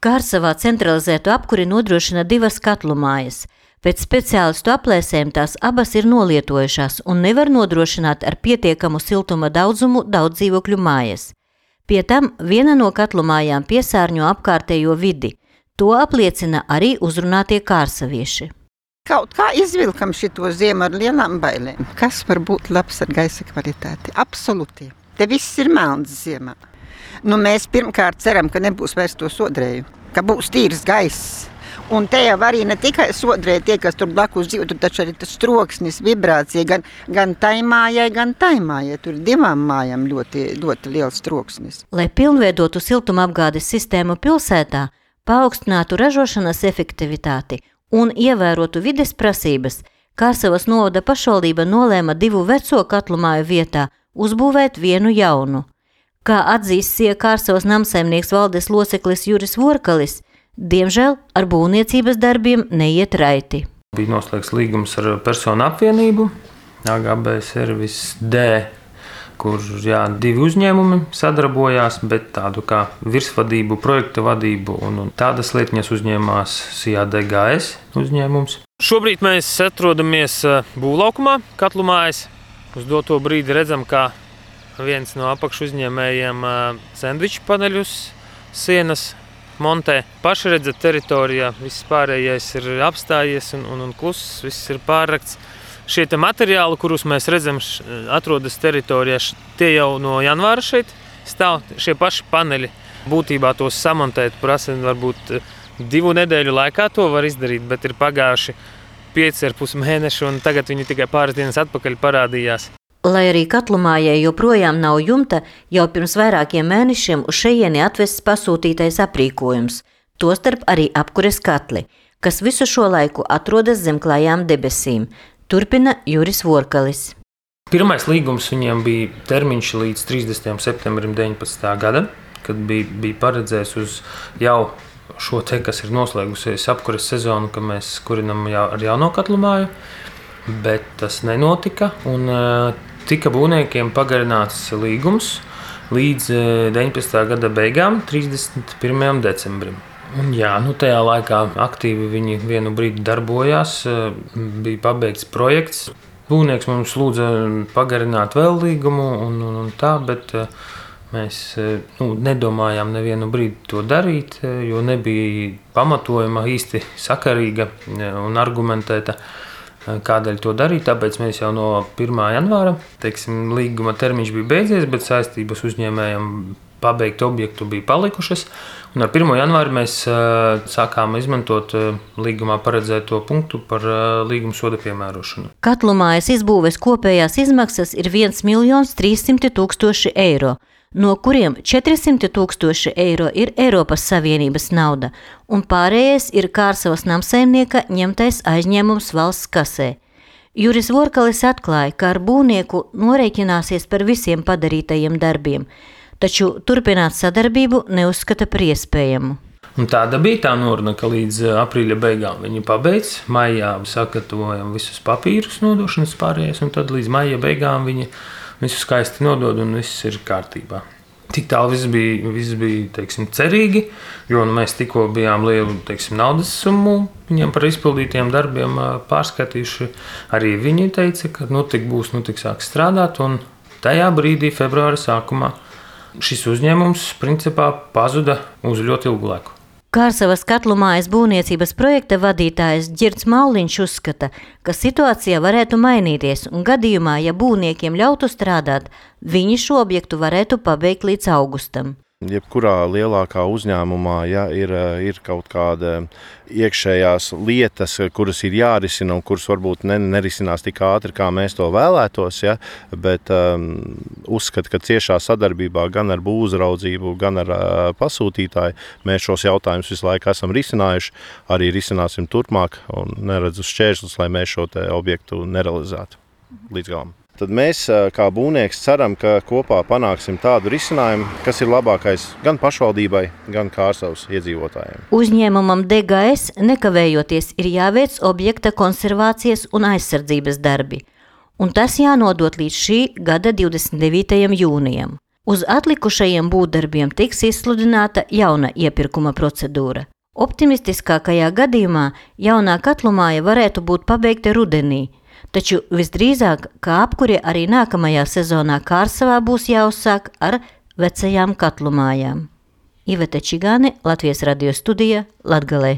Kārsavā centralizētu apkuri nodrošina 2 katlu mājas. Pēc speciālistu aplēsēm tās abas ir nolietojušās un nevar nodrošināt ar pietiekamu siltuma daudzumu daudz dzīvokļu mājas. Pie tam viena no katlu mājām piesārņo apkārtējo vidi. To apliecina arī uzrunātie kārsavieši. Kaut kā izvilkam šito ziemu ar lielām bailēm. Kas var būt labs ar gaisa kvalitāti? Absolūti. Te viss ir melns ziemā. Mēs pirmkārt ceram, ka nebūs vairs to sodrēju, ka būs tīrs gaiss. Un te jau arī ne tikai sodrē tie, kas tur blakus dzīvo, tur taču arī tas troksnis, vibrācija, gan tai mājai, gan tai mājai. Tur 2 mājām ļoti liels troksnis. Lai pilnveidotu siltumapgādes sistēmu pilsētā, paaugstinātu ražošanas efektivitāti un ievērotu vides prasības, Kārsavas novada pašvaldība nolēma 2 veco katlu māju vietā uzbūvēt 1 jaunu. Kā atzīst Kārsavas namsaimnieks valdes loceklis Juris Vorkalis, diemžēl ar būvniecības darbiem neiet raiti. Bija noslēgts līgums ar personu apvienību, AGB Service D, kur 2 uzņēmumi sadarbojās, bet tādu kā virsvadību, projekta vadību un tādas lietiņas uzņēmās CADGS uzņēmums. Šobrīd mēs atrodamies būvlaukumā, katlu mājas. Uz doto brīdi redzam, kā viens no apakšu uzņēmējiem sendviču paneļus sienas montē. Pašredza teritorijā viss pārējais ir apstājies un kluss, viss ir pārrakts. Šie materiāli, kurus mēs redzam, atrodas teritorijā, tie jau no janvāra šeit stāv. Šie paši paneļi būtībā tos samontēt prasa varbūt 2 nedēļu laikā to var izdarīt, bet ir pagājuši 5,5 mēneši un tagad viņi tikai pāris dienas atpakaļ parādījās. Lai arī katlumājai joprojām nav jumta, jau pirms vairākiem mēnešiem uz šejieni atvests pasūtītais aprīkojums, tostarp arī apkures katli, kas visu šo laiku atrodas zem klājām debesīm. Turpina Juris Vorkalis. Pirmais līgums viņiem bija termiņš līdz 30. septembrim 19. gada, kad bija paredzējis uz jau šo te, kas ir noslēgusies apkures sezonu, ka mēs kurinam ar jauno katlu māju, bet tas nenotika un tika būvniekiem pagarināts līgums līdz 19. gada beigām, 31. decembrim. Un tajā laikā aktīvi viņi vienu brīdi darbojās, bija pabeigts projekts. Būvnieks mums lūdza pagarināt vēl līgumu un tā, bet mēs nedomājām nevienu brīdi to darīt, jo nebija pamatojuma īsti sakarīga un argumentēta, kādēļ to darīt. Tāpēc mēs jau no 1. janvāra, līguma termiņš bija beidzies, bet saistības uzņēmējiem pabeigt objektu bija palikušas. Un ar 1. janvāri mēs sākām izmantot līgumā paredzēto punktu par līguma soda piemērošanu. Katlumājas izbūves kopējās izmaksas ir 1 300 000 eiro, no kuriem 400 000 eiro ir Eiropas Savienības nauda, un pārējais ir Kārsavas namsaimnieka ņemtais aizņēmums valsts kasē. Juris Vorkalis atklāja, ka ar būvnieku norēķināsies par visiem padarītajiem darbiem, taču turpināt sadarbību neuzskata par iespējamu. Un tāda bija tā noruna, ka līdz aprīļa beigām viņi pabeidz. Maijā sagatavojam visus papīrus nodošanas pārējais, un tad līdz maija beigām viņi visu skaisti nodod un viss ir kārtībā. Tik tālu viss bija cerīgi, jo mēs tikko bijām lielu naudas summu viņiem par izpildītiem darbiem pārskatījuši. Arī viņi teica, ka tik būs, tik sāks strādāt, un tajā brīdī februāra sākumā šis uzņēmums principā pazuda uz ļoti ilgu laiku. Kārsavas katlumājas būvniecības projekta vadītājs Ģirds Mauliņš uzskata, ka situācija varētu mainīties un gadījumā, ja būvniekiem ļautu strādāt, viņi šo objektu varētu pabeigt līdz augustam. Jebkurā lielākā uzņēmumā, ja ir kaut kāda iekšējās lietas, kuras ir jārisina un kuras varbūt nerisinās tik ātri, kā mēs to vēlētos, ja, bet uzskatu, ka ciešā sadarbībā gan ar būvuzraudzību, gan ar pasūtītāju mēs šos jautājumus visu laiku esam risinājuši, arī risināsim turpmāk un neredzu šķēršļus, lai mēs šo te objektu nerealizētu līdz galam. Tad mēs, kā būvnieks, ceram, ka kopā panāksim tādu risinājumu, kas ir labākais gan pašvaldībai, gan Kārsavas iedzīvotājiem. Uzņēmumam DGS nekavējoties ir jāveic objekta konservācijas un aizsardzības darbi, un tas jānodot līdz šī gada 29. jūnijam. Uz atlikušajiem būvdarbiem tiks izsludināta jauna iepirkuma procedūra. Optimistiskākajā gadījumā jaunā katlumāja varētu būt pabeigta rudenī, taču visdrīzāk, ka apkure arī nākamajā sezonā Kārsavā būs jāuzsāk ar vecajām katlumājām. Ivete Čigāne, Latvijas radio studija, Latgalē.